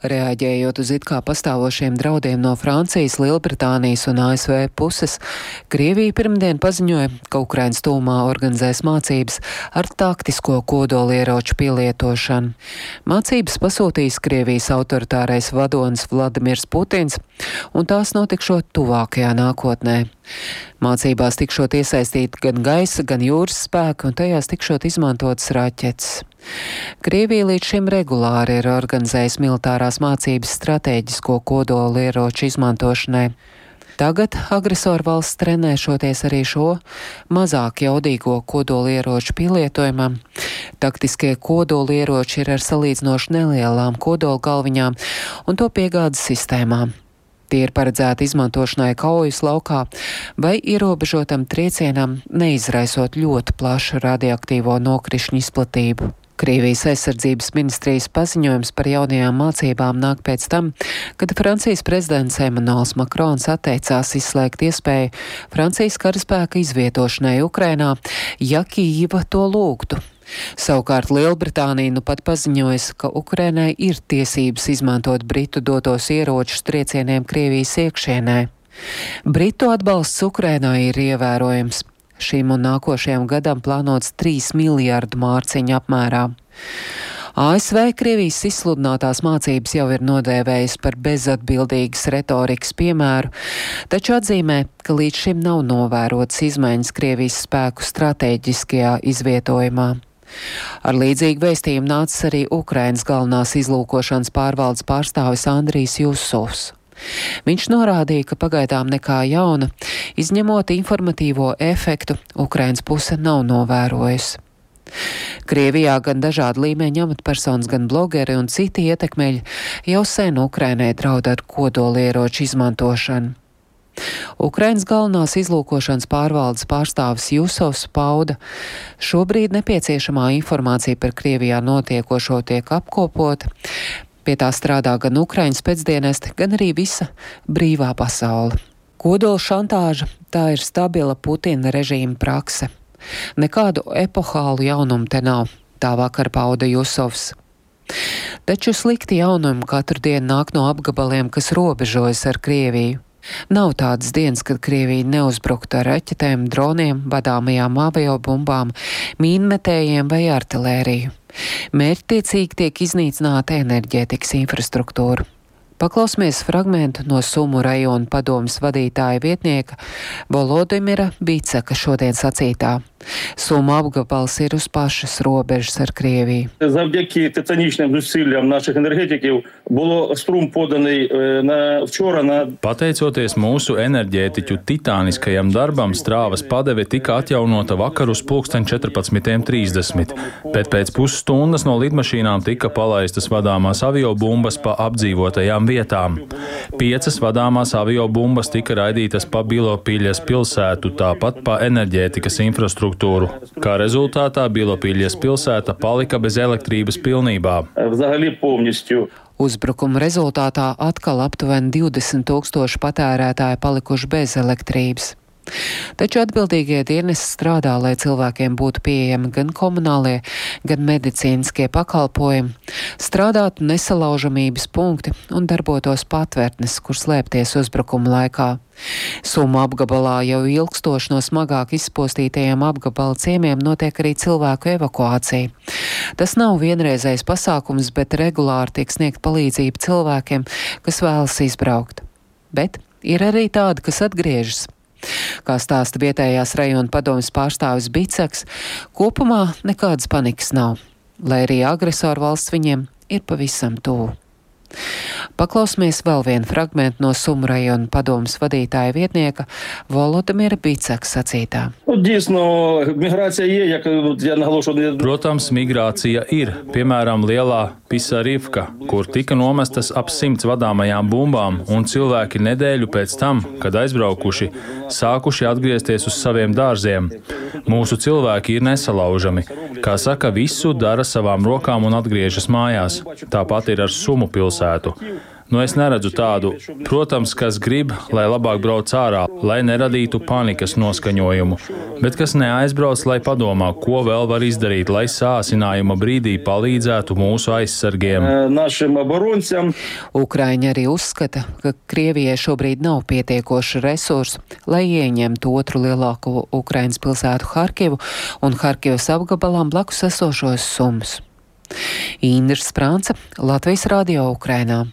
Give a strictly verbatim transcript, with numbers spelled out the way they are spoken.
Reaģējot uz it kā pastāvošiem draudiem no Francijas, Lielbritānijas un A S V puses, Krievija pirmdien paziņoja, ka Ukrainas tūmā organizēs mācības ar taktisko kodolieroču pielietošanu. Mācības pasūtīs Krievijas autoritārais vadonis Vladimirs Putins, un tās notikšot tuvākajā nākotnē. Mācībās tikšot iesaistīti gan gaisa, gan jūras spēki, un tajās tikšot izmantotas raķetes. Krievija līdz šim regulāri ir organizējusi militārās mācības stratēģisko kodolieroču izmantošanai. Tagad agresoru valsts trenēšoties arī šo mazāk jaudīgo kodolieroču pielietojumam. Taktiskie kodolieroči ir ar salīdzinoši nelielām kodolgalviņām un to piegādes sistēmām. Tie ir paredzēti izmantošanai kaujas laukā vai ierobežotam triecienam, neizraisot ļoti plašu radioaktīvo nokrišņu izplatību. Krievijas aizsardzības ministrijas paziņojums par jaunajām mācībām nāk pēc tam, kad Francijas prezidents Emmanuels Makrons atteicās izslēgt iespēju Francijas karaspēka izvietošanai Ukrainā, ja Kijīva to lūgtu. Savukārt Lielbritānija nu pat paziņojas, ka Ukrainai ir tiesības izmantot Britu dotos ieročus triecieniem Krievijas iekšienē. Britu atbalsts Ukrainai ir ievērojams. Šim un nākošajam gadam plānots trīs miljārdu mārciņu apmērā. A S V Krievijas izsludinātās mācības jau ir nodēvējis par bezatbildīgas retorikas piemēru, taču atzīmē, ka līdz šim nav novērotas izmaiņas Krievijas spēku stratēģiskajā izvietojumā. Ar līdzīgu vēstījumu nācis arī Ukrainas galvenās izlūkošanas pārvaldes pārstāvis Andrijs Jusovs. Viņš norādīja, ka pagaidām nekā jauna, izņemot informatīvo efektu, Ukrainas puse nav novērojusi. Krievijā gan dažādi līmeņa amatpersonas, gan blogeri un citi ietekmeļi jau sen Ukrainai draud ar kodolieroču izmantošanu. Ukrainas galvenās izlūkošanas pārvaldes pārstāvis Jusovs pauda, šobrīd nepieciešamā informācija par Krievijā notiekošo tiek apkopota. Pie tā strādā gan Ukrainas pēcdienesti, gan arī visa brīvā pasaule. Kodola šantāža – tā ir stabila Putina režīma prakse. Nekādu epohālu jaunumu te nav, tā vakar pauda Jusovs. Taču slikti jaunumi katru dienu nāk no apgabaliem, kas robežojas ar Krieviju. Nav tādas dienas, kad Krievija neuzbruktu ar raķetēm, droniem, vadāmajām aviobumbām, mīnmetējiem vai artilēriju. Mērķtiecīgi tiek iznīcināta enerģētikas infrastruktūra. Paklausmies fragmentu no Sumu rajona padomes vadītāja vietnieka Volodimira Bicaka šodien sacītā. Sumu apgabals ir uz pašas robežas ar Krieviju. Завдяки титанічним зусиллям наших енергетиків було струм поданий на вчора на Pateicoties mūsu enerģētiķu titāniskajam darbam, strāvas padeve tika atjaunota vakar uz pulksten četrpadsmit trīsdesmit, bet pēc pusstundas no lidmašīnām tika palaistas vadāmās aviobumbas pa apdzīvotajām vietām. Piecas vadāmās aviobumbas tika raidītas pa Bilopiļas pilsētu, tāpat pa enerģētikas infrastruktūru. Kā rezultātā Bilopiļas pilsēta palika bez elektrības pilnībā. Uzbrukuma rezultātā atkal aptuveni divdesmit tūkstoši patērētāji palikuši bez elektrības. Taču atbildīgie dienesti strādā, lai cilvēkiem būtu pieejami gan komunālie, gan medicīniskie pakalpojumi, strādātu nesalaužamības punkti un darbotos patvērtnes, kur slēpties uzbrukuma laikā. Sumu apgabalā jau ilgstoši no smagāk izpostītajiem apgabala ciemiem notiek arī cilvēku evakuācija. Tas nav vienreizējs pasākums, bet regulāri tiek sniegt palīdzību cilvēkiem, kas vēlas izbraukt. Bet ir arī tādi, kas atgriežas. Kā stāsta vietējās rajona padomes pārstāvis Bicaks, kopumā nekādas panikas nav, lai arī agresoru valsts viņiem ir pavisam tuvu. Paklausmies vēl vienu fragmentu no Sumu rajona padomes vadītāja vietnieka Volodimira Bicaka sacītā. Protams, migrācija ir, piemēram, lielā Pisarivka, kur tika nomestas ap simts vadāmajām bumbām, un cilvēki nedēļu pēc tam, kad aizbraukuši, sākuši atgriezties uz saviem dārziem. Mūsu cilvēki ir nesalaužami. Kā saka, visu dara savām rokām un atgriežas mājās. Tāpat ir ar Sumu pilsētu. Nu, es neredzu tādu. Protams, kas grib, lai labāk brauc ārā, lai neradītu panikas noskaņojumu, bet kas neaizbrauc, lai padomā, ko vēl var izdarīt, lai sāsinājuma brīdī palīdzētu mūsu aizsargiem. Ukraiņi arī uzskata, ka Krievijai šobrīd nav pietiekoši resursu, lai ieņemtu otru lielāko Ukrainas pilsētu Harkivu un Harkivas apgabalām blakus esošos Sumus. Indra Sprānce, Latvijas radio Ukrainā.